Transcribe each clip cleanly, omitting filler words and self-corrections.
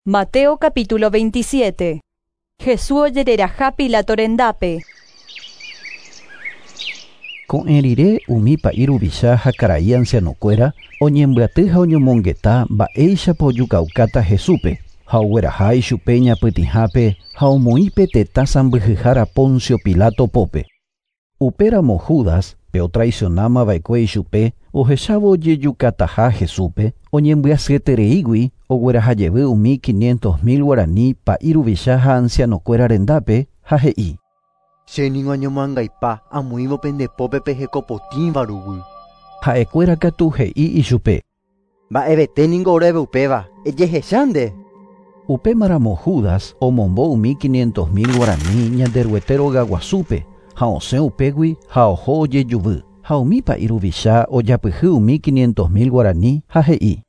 Mateo capítulo 27. Jesús ojereraha Pilato rendápe. Ko'ẽ rire umi pa'i ruvicha ha karai ancianokuéra oñembyaty ha oñomongeta mba'éichapa ojukaukáta Jesúspe ha ogueraha ichupe ñapytĩhápe ha omoĩ pe tetã sãmbyhyhára Poncio Pilato pópe. Upéramo Judas, pe otraicionamava'ekue ichupe, ohechávo ojejukataha Jesúspe, oñembyasyetereígui oguerahajevy umi 500.000 guarani pa'i ruvicha ha ancianokuéra rendápe ha he'i. Che ningo añomoangaipa amoĩvo pendepópe pehekopotĩva ruguy. Ha'ekuéra katu he'i ichupe. Mba'evete ningo oréve upéva, ejehecha nde. Upémaramo Judas omombo umi 500.000 guarani Ñanderuete rogaguasúpe ha osẽ upégui ha oho ojejuvy. Ha umi pa'i ruvicha ojapyhy umi 500.000 guarani ha he'i.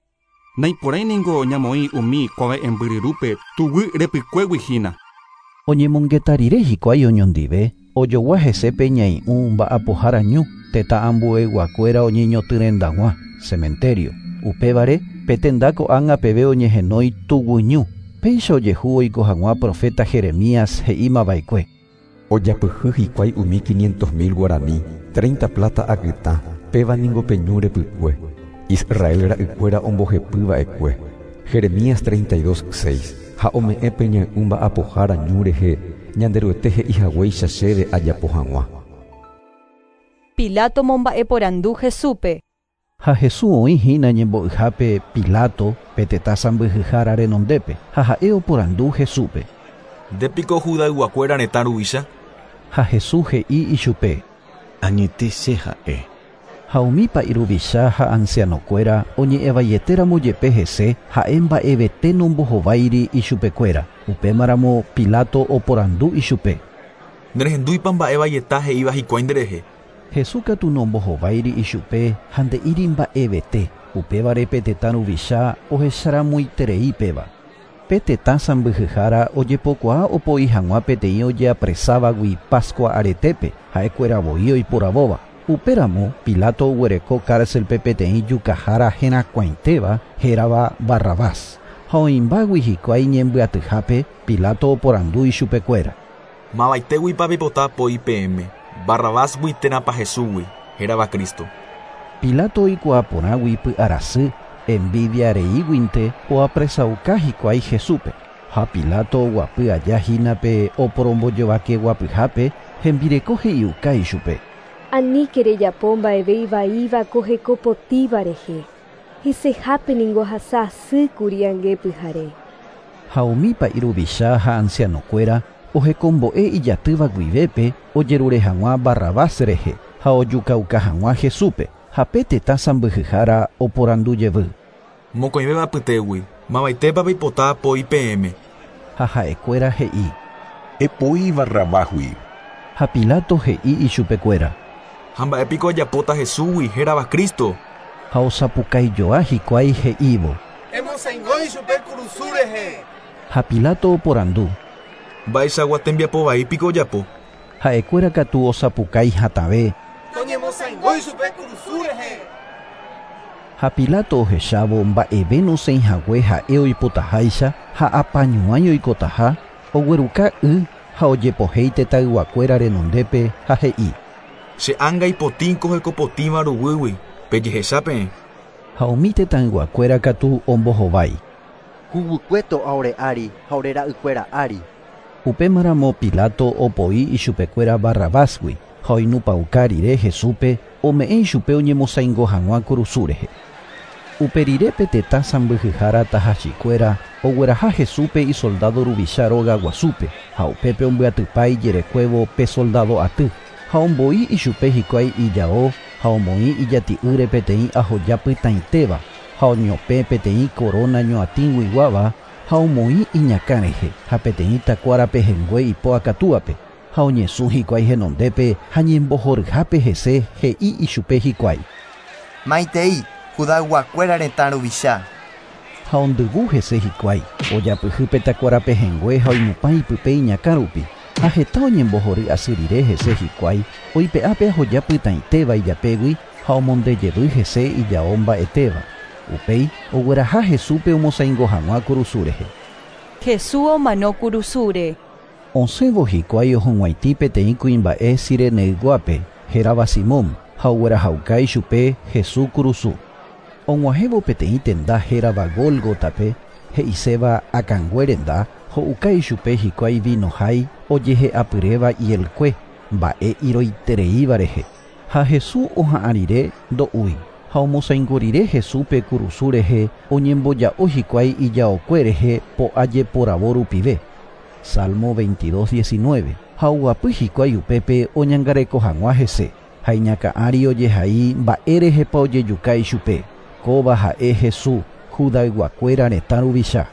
Naiporãi ningo ñamoĩ umi kuave'ẽmbyryrúpe tuguy repykuégui hína. Oñemongeta rire hikuái oñondive, ojogua hese pe ñai'ũ mba'apohára ñu, tetã ambueyguakuéra oñeñotỹrendag̃ua, cementerio. Upévare pe tenda ko'ág̃a peve oñehenói tuguyñu. Péicha ojehu oiko hag̃ua profeta Jeremías he'ímava'ekue. Ojapyhy hikuái umi 500.000 guarani, 30 plata akytã, péva ningo pe ñu repykue. Israel ra'ykuéra ombohepyva'ekue. Jeremías 32:6 ha ome'ẽ pe ñai'ũ mba'apohára ñu rehe Ñanderuete he'ihaguéicha chéve ajapo hag̃ua. Pilato momba'eporandu Jesúspe. Ha Jesús oĩhína ñembo'yhápe Pilato pe tetã sãmbyhyhára renondépe ha ha'e oporandu Jesúspe. Ndépiko Judayguakuéra retã ruvicha? Ha Jesús he'i ichupe. Añete che ha'e. Ha umi pa'i ruvicha ha ancianokuéra oñe'ẽvaietéramo jepe hese ha'e mba'evete nombohováiri ichupekuéra. Upémaramo Pilato oporandu ichupe. Nerehendúipa mba'evaieta he'íva hikuái nderehe. Jesús katu nombohováiri ichupe ha nde'íri mba'evete. Upévare pe tetã ruvicha ohecharamoiterei péva. Pe tetã sãmbyhyhára ojepokuaa opoi hag̃ua peteĩ ojeapresávagui Pascua aretépe ha'ekuéra voi oiporavóva. Upéramo Pilato oguereko cárcelpe peteĩ jukahára herakuãitéva hérava Barrabás. Ha oĩmbágui hikuái ñembyatyhápe Pilato oporandu ichupekuéra. Mavaitéguipa pipota poi peẽme, Barrabásgui térãpa Jesúsgui, hérava Cristo. Pilato oikuaa porãgui py'arasy, envidia reíguinte oapresauka hikuái Jesúspe. Ha Pilato oguapy aja hína pe oporombojovakeguapyhápe hembireko he'iuka ichupe. Aníke rejapo mba'eve ivaíva ko hekopotĩva rehe. Hesehápe ningo ohasa asýkuri ange pyhare. Ha umi pa'i ruvicha ha ancianokuéra ohekombo'e ijatýva guivépe ojerure hag̃ua Barrabás rehe ha ojukauka hag̃ua Jesúspe. Ha pe tetã sãmbyhyhára oporandu jevy. Mokõivéva apytégui, mavaitépa peipota poi peẽme. Ha ha'ekuéra he'i. Epoi Barrabásgui. Ha Pilato he'i ichupekuéra. Ha mba'épiko ajapóta Jesúsgui hérava Cristo. Ha osapukaijoa hikuái he'ívo. Emosãingo ichupe kurusu rehe. Ha Pilato oporandu. Mba'eichagua tembiapo vaípiko ojapo. Ha'ekuéra katu osapukái hatãve. Toñemosãingo ichupe kurusu rehe. Ha Pilato ohechávo mba'eve nosẽihague ha'e oipotaháicha ha apañuãi oikotaha, ogueruka y ha ojepohéi tetãyguakuéra renondépe ha he'i. Che ánga ipotĩ ko hekopotĩva ruguýgui, pejehecha peẽ. Ha umi tetãyguakuéra katu ombohovái. Huguykue to'a ore ári ha ore ra'ykuéra ári. Upémaramo Pilato opoi ichupekuéra Barrabásgui ha oinupãuka rire Jesúspe ome'ẽ ichupe oñemosãingo hag̃ua kurusu rehe. Upe rire pe tetã sãmbyhyhára tahachikuéra ogueraha Jesúspe isoldado ruvicha rogaguasúpe ha upépe ombyatypa ijerekuévo pe soldado aty ha omboi ichupe hikuái ijao ha omoĩ ijati'ýre peteĩ ahoja pytãitéva ha oñopẽ peteĩ corona ñoatĩguiguáva ha omoĩ iñakã rehe ha peteĩ takuárape hengue ipo akatúape ha oñesũ hikuái henondépe ha ñembohoryhápe hese he'i ichupe hikuái. Maitei, Judayguakuéra retã ruvicha. Ha ondyvu hese hikuái, ojapyhy pe takuárape hengue ha oinupã ipype iñakã rupi. Ha heta oñembohory asy rire hese hikuái, oipe'ápe ahoja pytãitéva ijapégui ha omondejevy hese ijao mba'etéva. Upéi ogueraha Jesúspe omosãingo hag̃ua kurusu rehe. Jesús omano kurusúre. Osẽvo hikuái ohug̃uaitĩ peteĩ kuimba'e Cireneyguápe, hérava Simón, ha oguerahauka ichupe Jesús kurusu. Og̃uahẽvo peteĩ tenda hérava Gólgotape, he'iséva akãngue renda, ho'uka ichupe hikuái vino hái ojehe'apyréva hielkue, mba'e iroitereíva rehe. Ha Jesús oha'ã rire ndo'úi, ha omosãingo rire Jesúspe kurusu rehe oñemboja'o hikuái ijaokue rehe po'a jeporavo rupive. Salmo 22, 19. Ha oguapy hikuái upépe oñangareko hag̃ua hese, ha iñakã'ári ojehai mba'érehepa ojejuka ichupe. Kóva ha'e Jesús, Judayguakuéra retã ruvicha.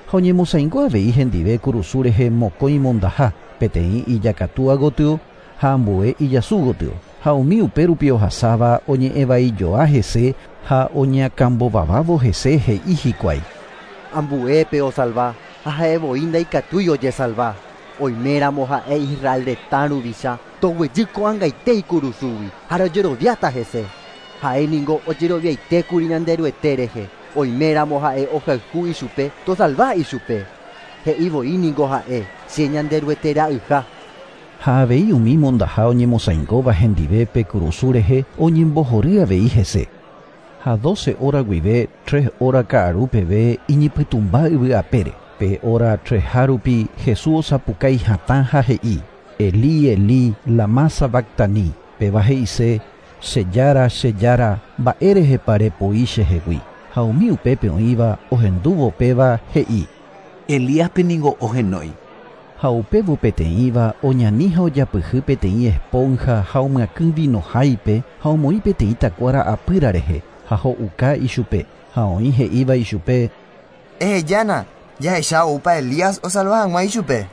Ha oñemosãingo avei hendive kurusu rehe mokõi mondaha, peteĩ ijakatúa gotyo ha ambue ijasu gotyo. Ha umi upérupi ohasáva oñe'ẽvaijoa hese ha oñakãmbovavávo hese he'i hikuái. Ambuépe osalva ha ha'evoi ndaikatúi ojesalva. Oiméramo ha'e Israel retã ruvicha toguejy ko'ag̃aite ikurusúgui ha rojeroviáta hese. Ha'éningo ojeroviaitékuri Ñanderuete rehe. Oiméramo ha'e ohayhu ichupe tosalva ichupe. He'ivoíningo ha'e che Ñanderuete ra'yha. Ha avei umi mondaha oñemosãingóva hendive pe kurusu rehe oñembohory avei hese. Ha 12 hora guive 3 hora ka'aru peve iñipytũmba yvy apére. Pe hora 3 rupi Jesús osapukái hatã ha he'i: Elí, Elí, lama sabactani. Péva he'ise: Che Jára, che Jára, mba'érehepa repoi chehegui. Ha umi upépe oĩva ohendúvo péva he'i: Elíaspe ningo ohenói. Ha upévo peteĩva oñani ha ojapyhy peteĩ esponja ha omyakỹ vino háipe ha omoĩ peteĩ takuára apýra rehe ha ho'uka ichupe. Ha oĩ he'íva ichupe: Ehejána, jahecha oúpa Elías osalva hag̃ua ichupe.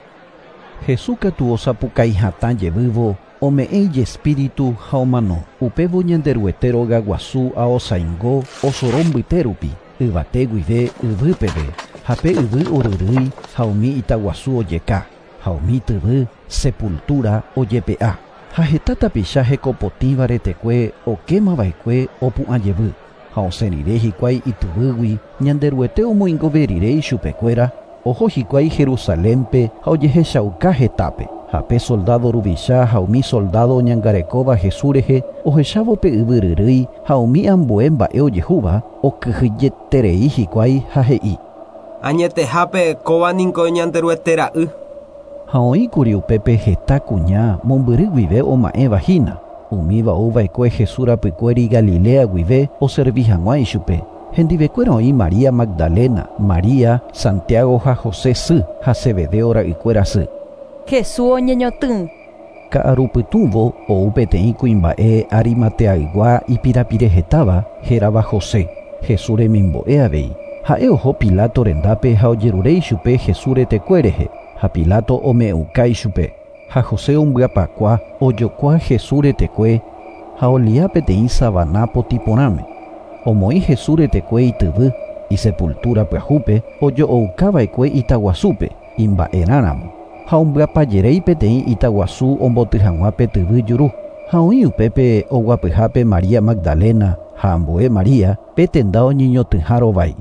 Jesús katu osapukái hatã jevývo ome'ẽ ijespíritu ha omano. Upévo Ñanderuete róga guasu aosãingo osoro mbyte rupi, yvate guive yvy peve, ha pe yvy oryrýi ha umi itaguasu ojeka, ha umi tyvy sepultura ojepe'a. Ha heta tapicha hekopotĩva retekue okémava'ekue opu'ã jevy. Ha osẽ rire hikuái ityvýgui Ñanderuete omoingove rire ichupekuéra, oho hikuái Jerusalénpe ha ojehechauka hetápe. Ha pe soldado ruvicha ha umi soldado oñangarekóva Jesús rehe ohechávo pe yvy ryrýi ha umi ambue mba'e ojehúva okyhyjeterei hikuái ha he'i: Añetehápe kóva niko Ñanderuete ra'y. Ha oĩkuri upépe heta kuña mombyry guive oma'ẽva hína. Umíva ouva'ekue Jesús rapykuéri Galilea guive oservi hag̃ua ichupe. Hendivekuéra oĩ María Magdalena, María, Santiago ha José sy ha Zebedeo ra'ykuéra sy. Jesús oñeñotỹ. Ka'arupytũvo ou peteĩ kuimba'e Arimateaygua ipirapirehetáva hérava José, Jesús remimbo'e avei. Ha'e oho Pilato rendápe ha ojerure ichupe Jesús retekue rehe, ha Pilato ome'ẽuka ichupe. Ha José ombyapakua ojokua Jesús retekue ha olia peteĩ savana potĩ porãme. Omoĩ Jesús retekue ityvy, isepultura pyahúpe ojo'oukava'ekue itaguasúpe, imba'erãramo. Ha ombyapajeréi peteĩ itaguasu omboty hag̃ua pe tyvy juru. Ha oĩ upépe oguapyhápe María Magdalena ha ambue María pe tenda oñeñotỹha rovái.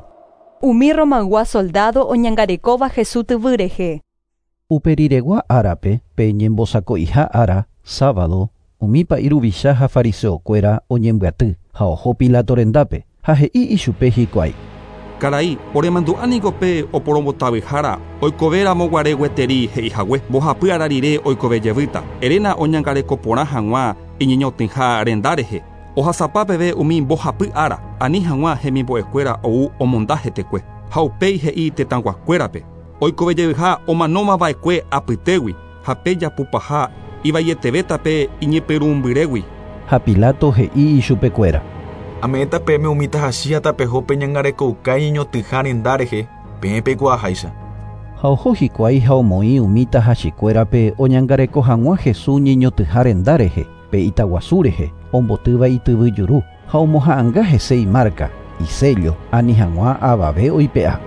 Umi Romaygua soldado oñangarekóva Jesús tyvy rehe. Uperiregua árape pe ñembosako'iha ára, sábado, umi pa'i ruvicha ha fariseokuéra oñembyaty ha oho Pilato rendápe ha he'i ichupe hikuái. Karai, oremandu'ániko pe oporombotavyhára oikovéramo guare gueteri he'ihague, mbohapy ára rire oikove jevýta. Eréna oñangareko porã hag̃ua iñeñotỹha renda rehe. Ohasapa peve umi mbohapy ára, ani hag̃ua hemimbo'ekuéra ou omonda hetekue. Ha upéi he'i tetãguakuérape, oikove jevyha omanómava'ekue apytégui ha pe japupaha ivaietevéta pe iñepyrũmbyrégui. Ha Pilato he'i ichupekuéra. Ame'ẽta peẽme umi tahachi ha tapeho peñangarekouka iñeñotỹha renda rehe, peẽ peikuaaháicha. Ha oho hikuái ha omoĩ umi tahachikuérape oñangareko hag̃ua Jesús ñeñotỹha renda rehe, pe itaguasu rehe, ombotýva ityvy juru, ha omoha'ãnga hese imarca, isello, ani hag̃ua avave oipe'a.